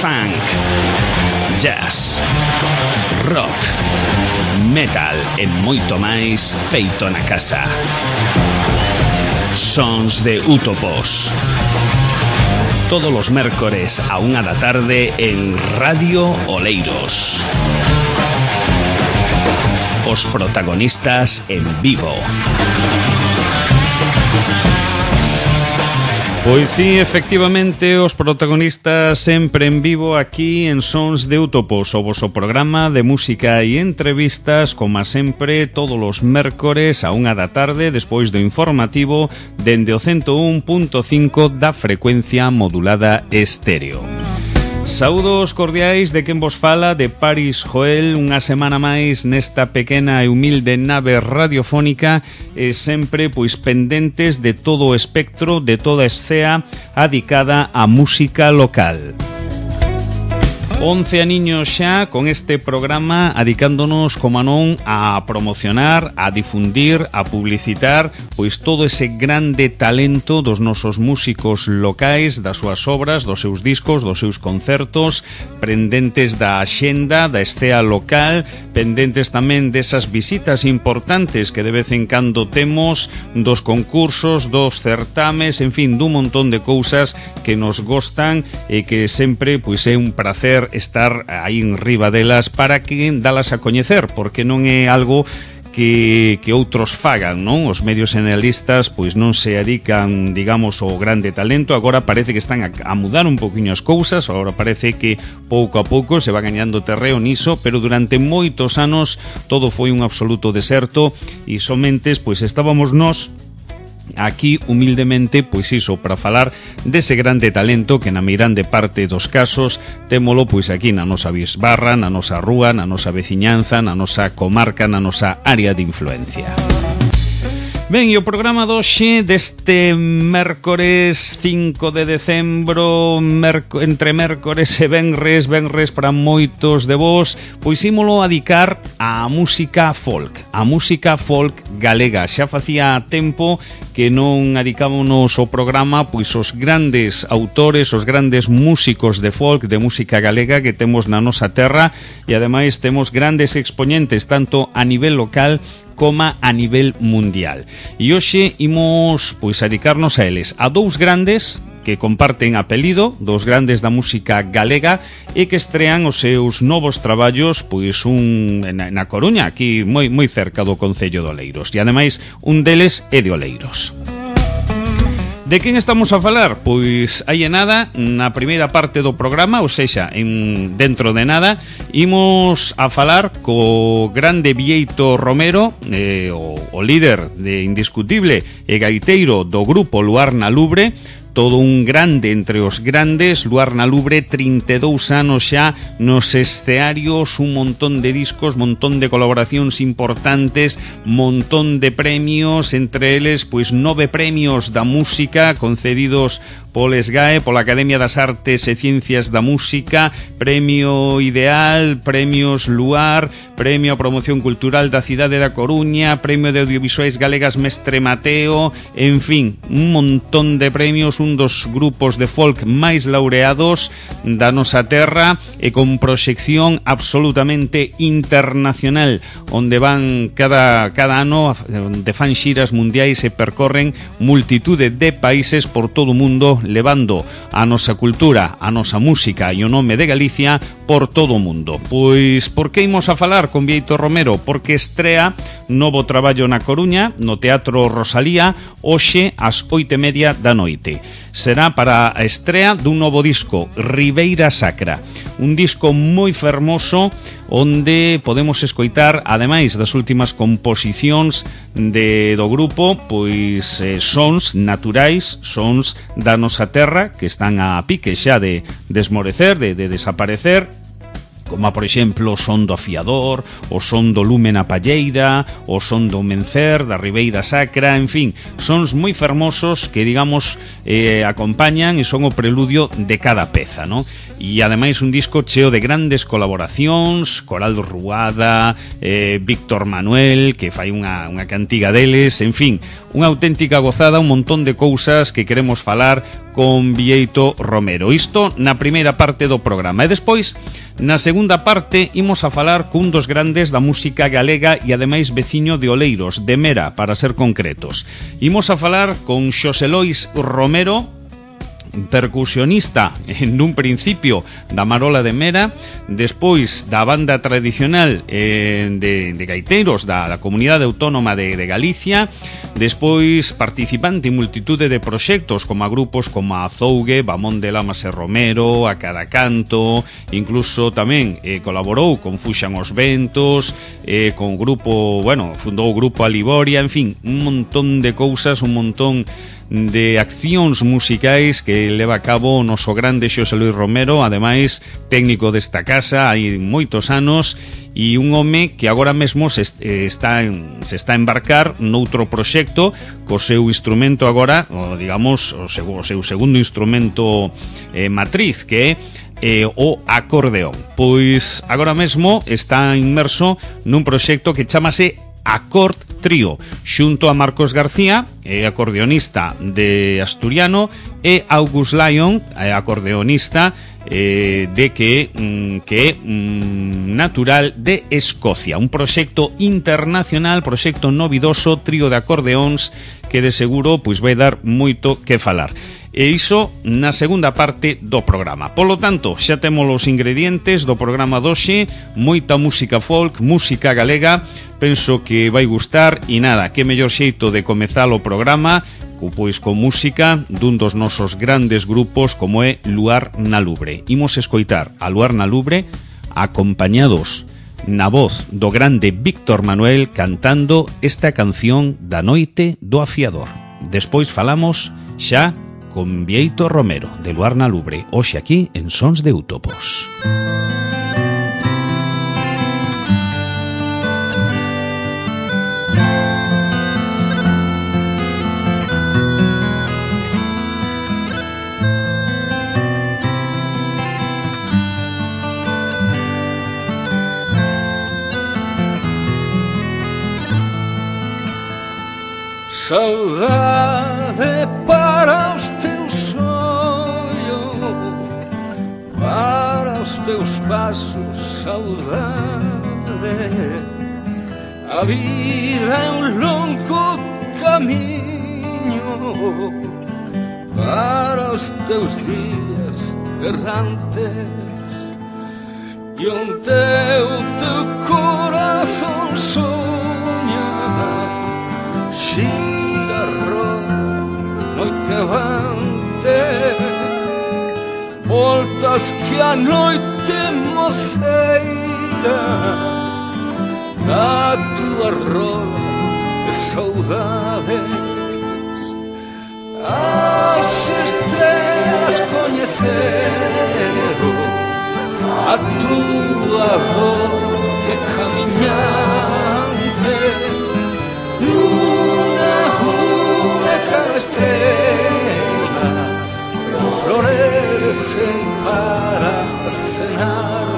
funk, jazz, rock, metal e moito máis feito na casa. Sons de Útopos. Todos os mércores a 1 da tarde en Radio Oleiros. Os protagonistas en vivo. Pois sí, efectivamente, os protagonistas sempre en vivo aquí en Sons de Útopos, o voso programa de música e entrevistas, como sempre, todos os mércores a 1 da tarde, despois do informativo, dende o 101.5 da frecuencia modulada estéreo. Saúdos cordiais de quen vos fala, de Paris Joel, unha semana máis nesta pequena e humilde nave radiofónica e sempre pois pendentes de todo o espectro, de toda a escea adicada á música local. 11 aniños xa con este programa adicándonos, como non, a promocionar, a difundir, a publicitar pois todo ese grande talento dos nosos músicos locais, das súas obras, dos seus discos, dos seus concertos, pendentes da axenda, da escea local, pendentes tamén desas visitas importantes que de vez en cando temos, dos concursos, dos certames, en fin, dun montón de cousas que nos gostan e que sempre pois é un placer estar aí en riba delas para que dalas a coñecer, porque non é algo que outros fagan, non? Os medios generalistas pois non se dedican, digamos, ao grande talento. Agora parece que están a mudar un poquinho as cousas, agora parece que pouco a pouco se va gañando terreo niso, pero durante moitos anos todo foi un absoluto deserto e somente pois estábamos nós aquí humildemente, pois iso, para falar dese grande talento que na meirande parte dos casos témolo pois aquí na nosa bisbarra, na nosa rúa, na nosa veciñanza, na nosa comarca, na nosa área de influencia. Ben, e o programa doxe deste mércores 5 de decembro, entre mércores e venres para moitos de vos, pois ímolo adicar á música folk galega. Xa facía tempo que non adicámonos o programa pois os grandes autores, os grandes músicos de folk, de música galega que temos na nosa terra, e ademais temos grandes expoñentes tanto a nivel local como a nivel mundial. E hoxe imos pois dedicarnos a eles, a dous grandes que comparten apelido, dos grandes da música galega e que estrean os seus novos traballos pois na Coruña, aquí moi cerca do concello de Oleiros, e ademais un deles é de Oleiros. De quen estamos a falar? Pois hai nada, na primeira parte do programa, ou sexa, dentro de nada, imos a falar co grande Bieito Romero, o líder de indiscutible e gaiteiro do grupo Luar na Lubre, todo un grande entre os grandes. Luar na Lubre, 32 anos xa nos escearios, un montón de discos, montón de colaboracións importantes, montón de premios, entre eles pois 9 premios da música concedidos polo SGAE, pola Academia das Artes e Ciencias da Música, Premio Ideal, Premios Luar, Premio a Promoción Cultural da Cidade da Coruña, Premio de Audiovisuais Galegas Mestre Mateo, en fin, un montón de premios, un dos grupos de folk máis laureados da nosa terra e con proxección absolutamente internacional, onde van cada ano de fan xiras mundiais e percorren multitude de países por todo o mundo, levando a nosa cultura, a nosa música e o nome de Galicia por todo o mundo. Pois, por que imos a falar con Bieito Romero? Porque estrea novo traballo na Coruña, no Teatro Rosalía, hoxe ás 8:30 da noite. Será para a estrea dun novo disco, Ribeira Sacra, un disco moi fermoso onde podemos escoitar, ademais das últimas composicións do grupo, pois sons naturais, sons da nosa terra que están a pique xa de desmorecer, de desaparecer, como por exemplo o son do Afiador, o son do Lume na Palleira, o son do Mencer, da Ribeira Sacra, en fin, sons moi fermosos que, digamos, acompañan e son o preludio de cada peza, non? E ademais un disco cheo de grandes colaboracións, Coral Ruada, Víctor Manuel, que fai unha cantiga deles, en fin, unha auténtica gozada, un montón de cousas que queremos falar con Bieito Romero. Isto na primeira parte do programa. E despois, na segunda parte, imos a falar cun dos grandes da música galega e ademais veciño de Oleiros, de Mera, para ser concretos. Imos a falar con Xosé Lois Romero, percusionista nun principio da Marola de Mera, despois da banda tradicional de gaiteiros da Comunidade Autónoma de Galicia, despois participante en multitude de proxectos como a grupos como a Zougue, Bamón de Lamas e Romero, a Cada Canto, incluso tamén colaborou con Fuxan os Ventos, con grupo, bueno, fundou o grupo Aliboria, en fin, un montón de cousas, un montón de accións musicais que leva a cabo o noso grande Xosé Luis Romero, ademais técnico desta casa hai moitos anos, e un home que agora mesmo se está a embarcar noutro proxecto co seu instrumento agora, digamos, o seu segundo instrumento matriz, que é o acordeón. Pois agora mesmo está inmerso nun proxecto que chamase Acord Trío, xunto a Marcos García, acordeonista de Asturiano, e August Lyon, acordeonista natural de Escocia. Un proxecto internacional, proxecto novidoso, trío de acordeóns que de seguro pois vai dar moito que falar. E iso na segunda parte do programa. Polo tanto, xa temos os ingredientes do programa doxe, moita música folk, música galega. Penso que vai gustar e nada, que mellor xeito de comezar o programa pois con música dun dos nosos grandes grupos como é Luar na Lubre. Imos escoitar a Luar na Lubre acompañados na voz do grande Víctor Manuel cantando esta canción da Noite do Afiador. Despois falamos xa con Bieito Romero de Luar na Lubre, hoxe aquí en Sons de Utopos. Saudade para os teus ollos, para os teus passos, saudade. A vida é um longo caminho, para os teus dias errantes, e onde o teu coração sonha, gira roda noite avante, voltas que a noite moceira da tua roda de saudades. As estrelas conheceram a tua dor de caminhante, cada estrela florecen para cenarte.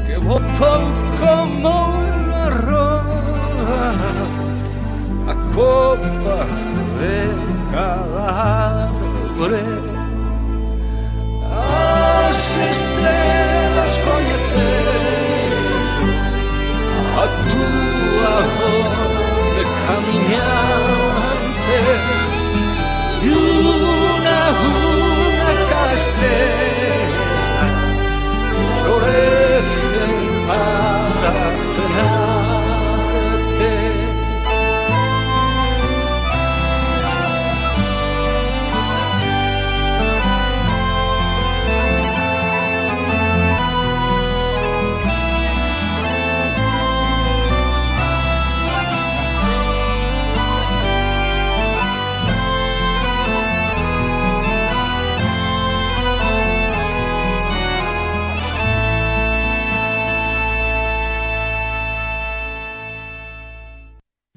Que botou como unha roda a copa de cada árbore. As estrelas coñeceron a tua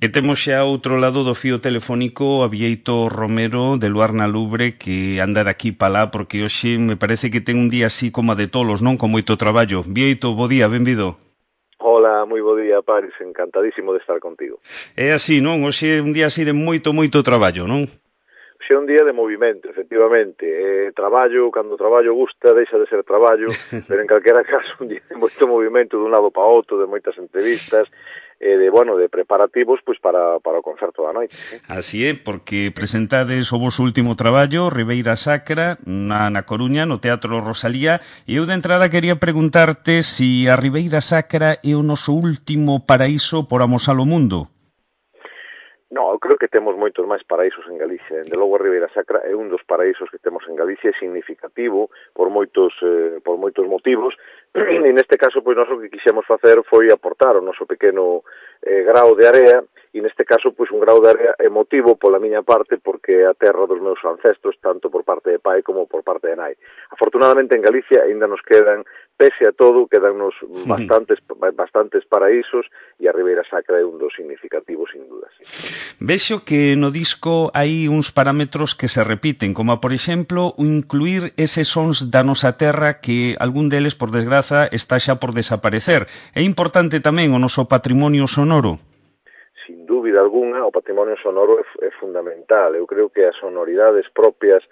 E temos xa outro lado do fío telefónico a Bieito Romero de Luarna Lubre, que anda de aquí para lá porque hoxe me parece que ten un día así como a de tolos, non? Con moito traballo. Bieito, bo día, benvido. Hola, moi bo día, Paris, encantadísimo de estar contigo. É así, non? Hoxe é un día así de moito traballo, non? Xe un día de movimento, efectivamente. Cando traballo gusta, deixa de ser traballo, pero en calquera caso un día de moito movimento dun lado para outro, de moitas entrevistas, de preparativos pois para o concerto da noite. Así é, porque presentades o vosso último traballo, Ribeira Sacra, na Coruña, no Teatro Rosalía, e eu de entrada quería preguntarte si a Ribeira Sacra é o noso último paraíso por amosar o mundo. No, eu creo que temos moitos máis paraísos en Galicia. Dende logo a Ribeira Sacra é un dos paraísos que temos en Galicia, é significativo por moitos motivos, e neste caso, pois, nós o que quixemos facer foi aportar o noso pequeno grao de area, e neste caso, pois, un grao de area emotivo pola miña parte, porque é a terra dos meus ancestros, tanto por parte de pai como por parte de nai. Afortunadamente, en Galicia aínda nos quedan, pese a todo, quedannos bastantes paraísos, e a Ribeira Sacra é un dos significativos, sin duda, sí. Vexo que no disco hai uns parámetros que se repiten, como por exemplo incluir eses sons da nosa terra que algún deles, por desgraza, está xa por desaparecer. É importante tamén o noso patrimonio sonoro? Sin dúbida alguna, o patrimonio sonoro é fundamental. Eu creo que as sonoridades propias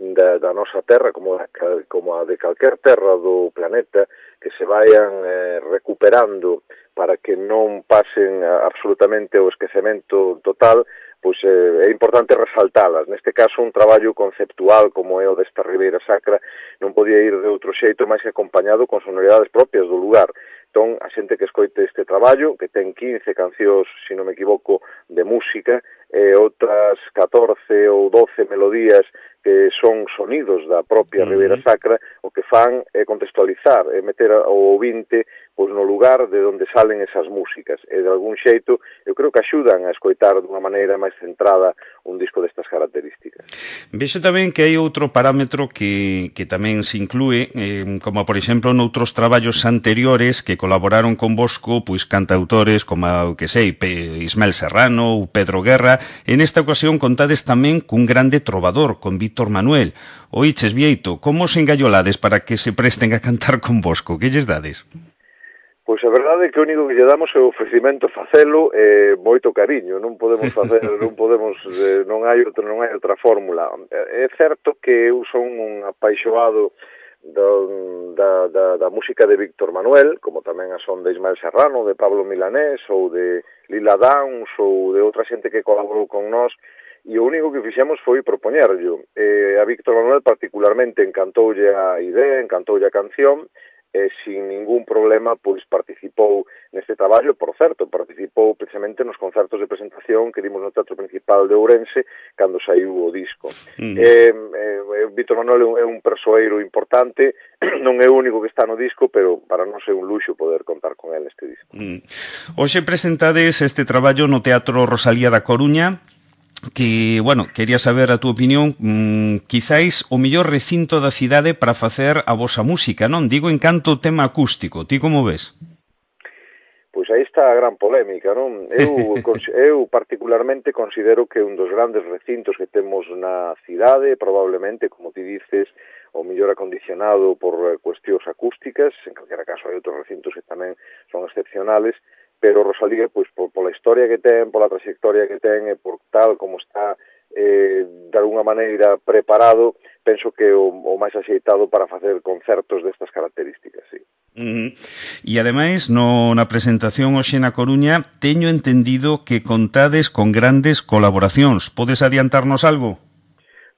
da nosa terra, como a de calquer terra do planeta, que se vayan recuperando para que non pasen absolutamente o esquecemento total, pois é importante resaltalas. Neste caso, un traballo conceptual como é o desta Ribeira Sacra non podía ir de outro xeito máis que acompañado con sonoridades propias do lugar. Entón, a xente que escoite este traballo, que ten 15 cancións, se non me equivoco, de música, e outras 14 ou 12 melodías que son sonidos da propia Ribeira Sacra, o que fan é contextualizar, é meter o ouvinte pois, no lugar de onde salen esas músicas. E de algún xeito, eu creo que axudan a escoitar dunha maneira máis centrada un disco destas características. Vexo tamén que hai outro parámetro que tamén se inclúe, como por exemplo noutros traballos anteriores que colaboraron con vosco, pois cantautores como, que sei, Ismael Serrano ou Pedro Guerra. En esta ocasión contades tamén cun grande trovador, con Víctor Manuel. Oiches, Bieito, como os engallolades para que se presten a cantar con vosco? Que lles dades? Pois a verdade é que o único que lle damos é o ofrecimento facelo e moito cariño, non hai outra fórmula. É certo que eu son un apaixoado da música de Víctor Manuel, como tamén a son de Ismael Serrano, de Pablo Milanés ou de Lila Downs ou de outra xente que colaborou con nós, e o único que fixemos foi propoñerllo. A Víctor Manuel particularmente encantoulle a idea, encantoulle a canción, e sin ningún problema pois participou neste traballo. Por certo, participou precisamente nos concertos de presentación que dimos no Teatro Principal de Ourense cando saiu o disco. Víctor Manuel é un persoeiro importante, non é o único que está no disco, pero para nós é un luxo poder contar con ele neste disco. Hoxe presentades este traballo no Teatro Rosalía da Coruña, que, bueno, quería saber a túa opinión, quizáis o mellor recinto da cidade para facer a vosa música, non? Digo en canto tema acústico, ti como ves? Pois aí está a gran polémica, non? Eu particularmente considero que un dos grandes recintos que temos na cidade, probablemente, como ti dices, o mellor acondicionado por cuestións acústicas, en calquera caso hai outros recintos que tamén son excepcionales, pero Rosalía, pois, pola historia que ten, pola trayectoria que ten e por tal como está de alguna maneira preparado, penso que o máis axeitado para facer concertos destas características, sí. E ademais, na presentación hoxe na Coruña, teño entendido que contades con grandes colaboracións. Podes adiantarnos algo?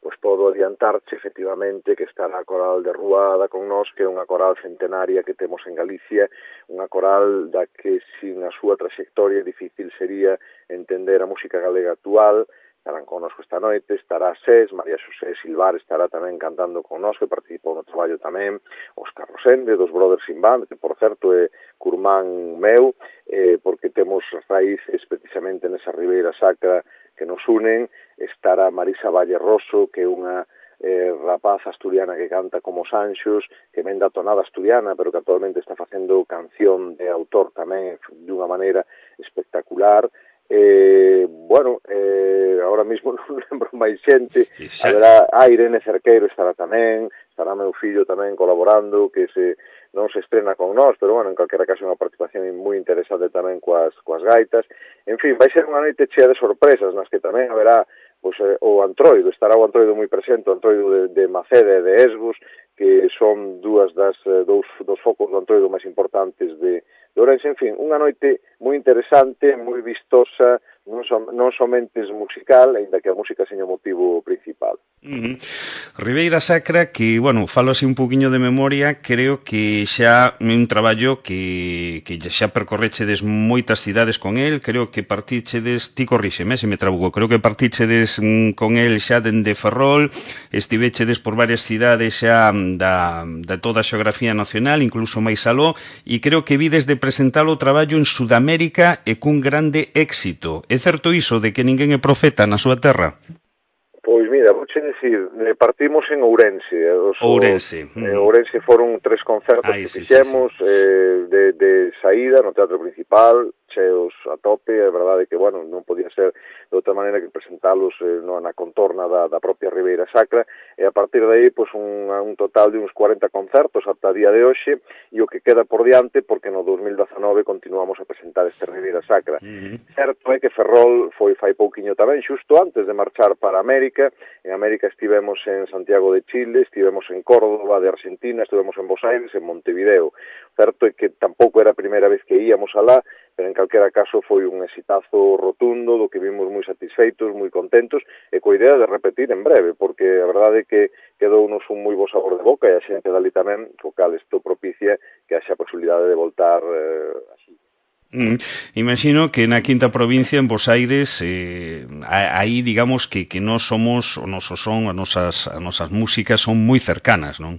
Pois podo adiantarche, efectivamente, que estará a Coral de Ruada con nós, que é unha coral centenaria que temos en Galicia, unha coral da que sin a súa trayectoria difícil sería entender a música galega actual. Estarán connosco esta noite, estará SES, María Xosé Silvar estará tamén cantando con nós, que participou no traballo tamén, Óscar Rosende, dos Brothers in Band, que por certo é curmán meu, porque temos raíces precisamente nesa Ribeira Sacra que nos unen. Estará Marisa Valle Rosso, que é unha rapaz asturiana que canta como Sanxos, que ven da tonada asturiana, pero que actualmente está facendo canción de autor tamén dunha maneira espectacular. Ahora mismo non lembro máis xente, haberá Irene Cerqueiro estará tamén, estará meu fillo tamén colaborando, que non se estrena con nós, pero bueno, en calquera caso é unha participación moi interesante tamén coas gaitas. En fin, vai ser unha noite chea de sorpresas, nas que tamén haberá o Antroido, estará o Antroido moi presente, o Antroido de Maceda e de Esgos, que son dous focos do Antroido máis importantes de Ourense. En fin, unha noite moi interesante, moi vistosa, non somente musical, aínda que a música seña o motivo principal. Ribeira Sacra, que, bueno, falo así un poquinho de memoria, creo que xa é un traballo que xa percorrechedes moitas cidades con el, creo que partichedes, ti corríxeme se me trabuco, creo que partichedes con el xa dende Ferrol, estivechedes por varias cidades xa da toda a xeografía nacional, incluso máis aló, e creo que vides de presentar o traballo en Sudamérica e cun grande éxito. É certo iso de que ninguén é profeta na súa terra? Pois mira, vouche dicir, partimos en Ourense. Ourense foron 3 concertos que fixemos de saída no teatro principal, cheos a tope. É verdade que, bueno, non podía ser de outra maneira que presentalos na contorna da propia Ribeira Sacra, e a partir de aí, pois, un total de uns 40 concertos ata a día de hoxe, e o que queda por diante, porque no 2019 continuamos a presentar este Ribeira Sacra. Certo é que Ferrol foi fai pouquiño tamén, xusto antes de marchar para América. En América estivemos en Santiago de Chile, estivemos en Córdoba de Argentina, estivemos en Buenos Aires, en Montevideo. Certo é que tampouco era a primeira vez que íamos alá, pero en calquera caso foi un exitazo rotundo, do que vimos moi satisfeitos, moi contentos, e coa idea de repetir en breve, porque a verdade é que quedounos un moi bo sabor de boca, e a xente dali tamén, co cal isto propicia que haxa a posibilidade de voltar así. Imagino que na quinta provincia, en Bos Aires, aí digamos que nós somos, o noso son, as nosas músicas son moi cercanas, non?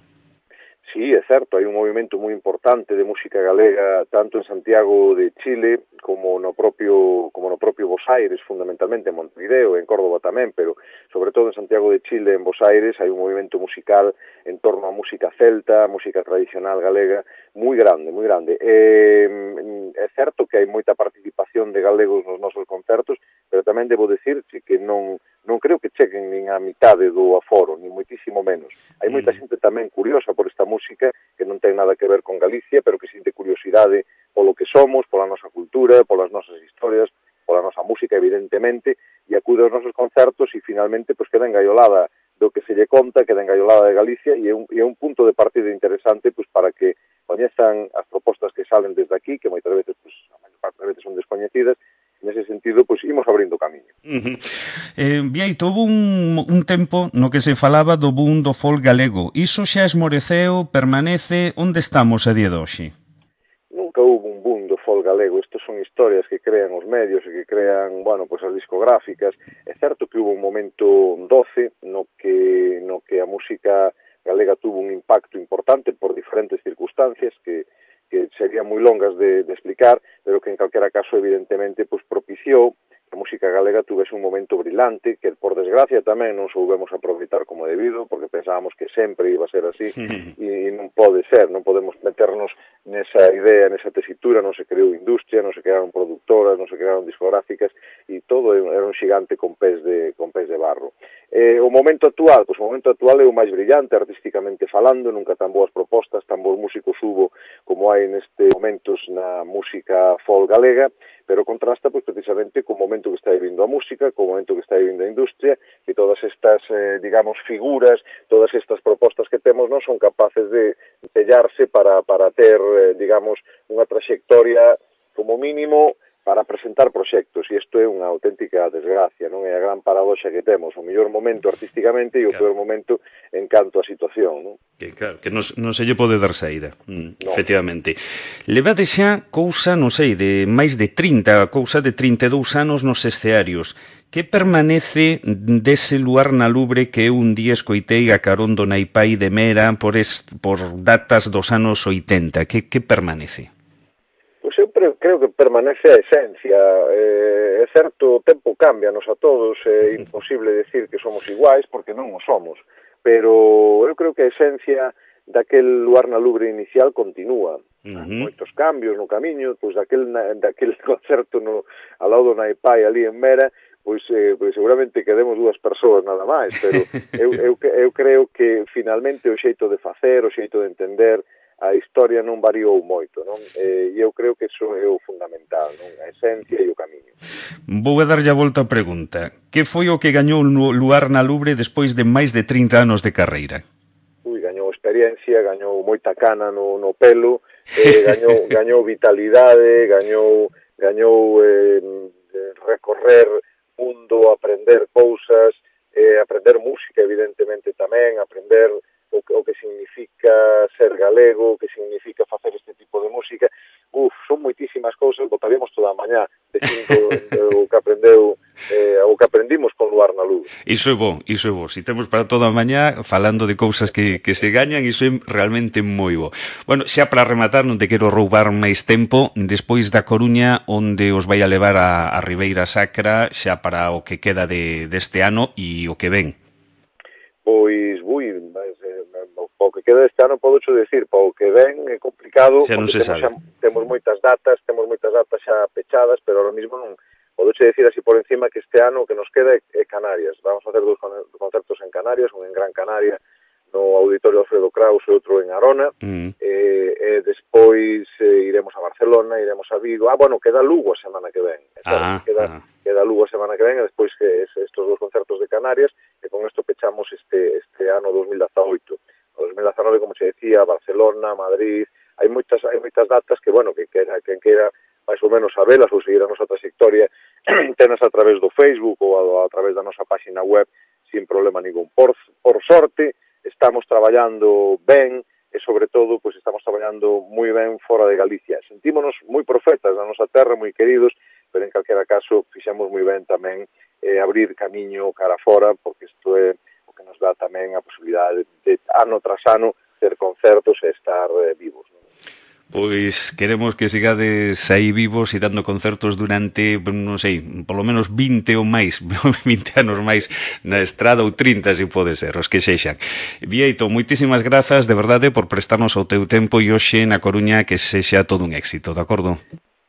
Sí, é certo, hai un movimento moi importante de música galega tanto en Santiago de Chile como no propio Bos Aires, fundamentalmente en Montevideo, en Córdoba tamén, pero sobre todo en Santiago de Chile, en Bos Aires, hai un movimento musical en torno á música celta, a música tradicional galega, moi grande, moi grande. É certo que hai moita participación de galegos nos nosos concertos, pero tamén debo dicirche que non creo que cheguen nin a mitade do aforo, nin moitísimo menos. Hai moita xente tamén curiosa por esta música, que non ten nada que ver con Galicia, pero que sinte curiosidade polo que somos, pola nosa cultura, polas nosas historias, pola nosa música, evidentemente, e acude aos nosos concertos e finalmente pois queda engaiolada do que se lle conta, queda engaiolada de Galicia, e é un punto de partida interesante pois para que coñezan as propostas que salen desde aquí, que moitas veces, pois, a maior parte das veces son descoñecidas. Nese sentido, pois, imos abrindo camiño. Bieito, houve un tempo no que se falaba do boom do folk galego. Iso xa esmoreceu, permanece? Onde estamos a día de hoxe? Nunca houve un boom do folk galego. Estos son historias que crean os medios e que crean, bueno, pois as discográficas. É certo que houve un momento doce no que a música galega tuvo un impacto importante por diferentes circunstancias que serían moi longas de explicar, pero que en calquera caso evidentemente pois propiciou que a música galega tuvese un momento brillante, que por desgracia tamén non soubemos aproveitar como debido, porque pensábamos que sempre iba a ser así, e non pode ser, non podemos meternos nesa idea, nesa tesitura, non se creou industria, non se crearon productoras, non se crearon discográficas, e todo era un xigante con pés de barro. O momento actual, pois o momento actual é o máis brillante artísticamente falando, nunca tan boas propostas, tan bons músicos hubo como hai nestes momentos na música folk galega, pero contrasta pois precisamente co momento que está vivindo a música, co momento que está vivindo a industria, e todas estas, digamos, figuras, todas estas propostas que temos non son capaces de sellarse para ter, digamos, unha trayectoria como mínimo para presentar proxectos, e isto é unha auténtica desgracia, non é a gran paradoxa que temos, o mellor momento artísticamente e o peor momento en canto a situación, non? Que non se lle pode dar saída, efectivamente. Levade xa cousa, non sei, de máis de 30, cousa de 32 anos nos escearios. Que permanece dese luar na Lubre que eu un día escoitei a carón do Naipai de Mera por datas dos anos 80? Que permanece? Pois eu creo que permanece a esencia. É certo, o tempo cámbianos a todos, é imposible decir que somos iguais, porque non o somos, pero eu creo que a esencia daquel Luar na Lubre inicial continúa. Moitos cambios no camiño, pois daquel concerto ao lado do Naipai ali en Mera, pois seguramente quedemos 2 persoas nada máis, pero eu creo que finalmente o xeito de facer, o xeito de entender a historia non variou moito, non? E eu creo que iso é o fundamental, non? A esencia e o camiño. Vou a darlle a volta a pregunta. Que foi o que gañou Luar na Lubre despois de máis de 30 anos de carreira? Gañou experiencia, gañou moita cana no pelo, gañou vitalidade, gañou recorrer mundo, aprender cousas, aprender música evidentemente tamén, aprender o que significa ser galego, o que significa facer este tipo de música. Son moitísimas cousas, botaríamos toda a mañá dicindo o que aprendimos con Luar na Lubre. Iso é bo. Si temos para toda a mañá falando de cousas que se gañan, iso é realmente moi bo. Bueno, xa para rematar, non te quero roubar máis tempo, despois da Coruña, onde os vai a levar a Ribeira Sacra, xa para o que queda deste ano e o que ven? Pois, o que queda este ano podo decir, para o que ven é complicado, xa non se sabe. Temos moitas datas xa pechadas, pero ahora mismo non podo decir así por encima que este ano o que nos queda é Canarias. Vamos a facer 2 concertos en Canarias, un en Gran Canaria no Auditorio Alfredo Kraus e outro en Arona, e despois iremos a Barcelona, iremos a Vigo. Queda Lugo a semana que ven. Queda Lugo a semana que ven, e despois que estes 2 concertos de Canarias, e con isto pechamos este ano 2018. O 2019, como se decía, Barcelona, Madrid, hai moitas datas que, quen queira máis ou menos sabelas ou seguir a nosa trayectoria, tenas a través do Facebook ou a través da nosa página web sin problema ningún. Por sorte, estamos traballando ben e, sobre todo, pois estamos traballando moi ben fora de Galicia. Sentímonos moi profetas na nosa terra, moi queridos, pero en calquera caso fixemos moi ben tamén abrir camiño cara fora, porque isto é o que nos dá tamén a posibilidade de ano tras ano ter concertos e estar vivos, non? Pois queremos que sigades aí vivos e dando concertos durante, non sei, polo menos 20 ou máis, 20 anos máis na estrada, ou 30 se pode ser, os que sexan. Bieito, moitísimas grazas, de verdade, por prestarnos o teu tempo e hoxe na Coruña que sexa todo un éxito, de acordo?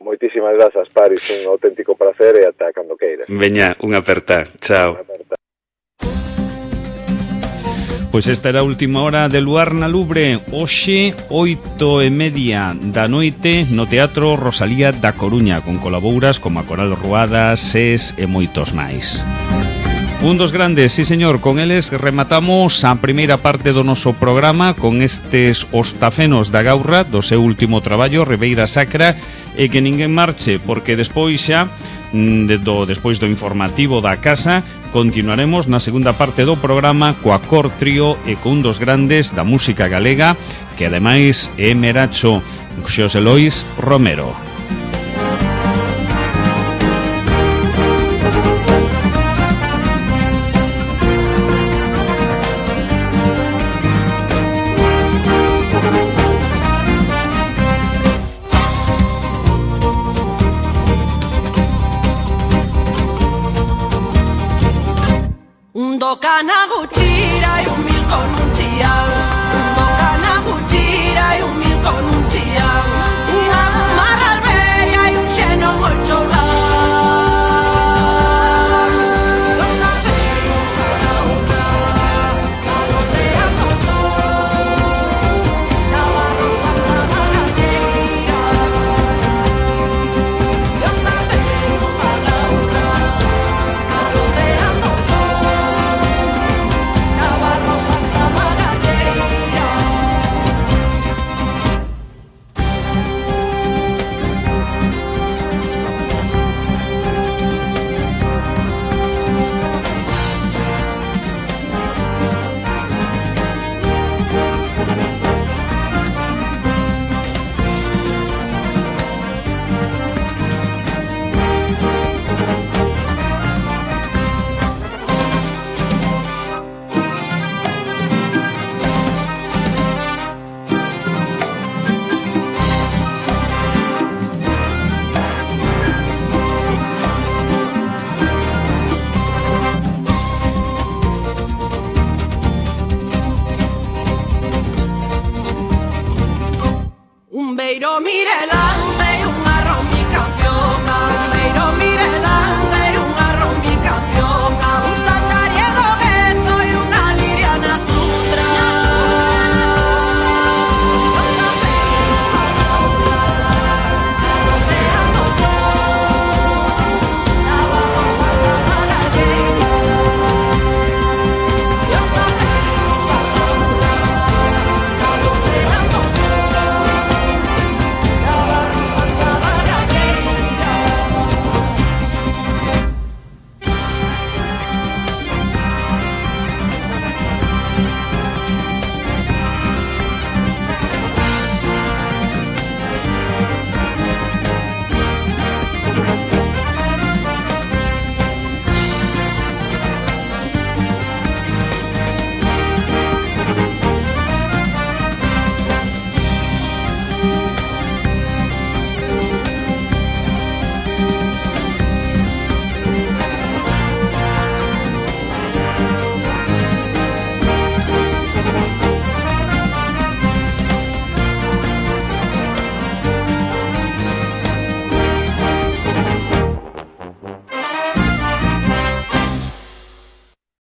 Moitísimas grazas, Paris, un auténtico placer e ata cando queiras. Veña, unha aperta, chao. Pois esta era a última hora de Luar na Lubre. Hoxe, 8:30 da noite, no Teatro Rosalía da Coruña, con colabouras como a Coral Ruada, SES e moitos máis. Un dos grandes, sí señor, con eles rematamos a primeira parte do noso programa con estes Ostafenos da Gaurra, do seu último traballo, Ribeira Sacra, e que ninguén marche, porque despois xa, despois do informativo da casa, continuaremos na segunda parte do programa coa Cor Trío e con un dos grandes da música galega, que ademais é Meracho, Xosé Lois Romero. Canaguchi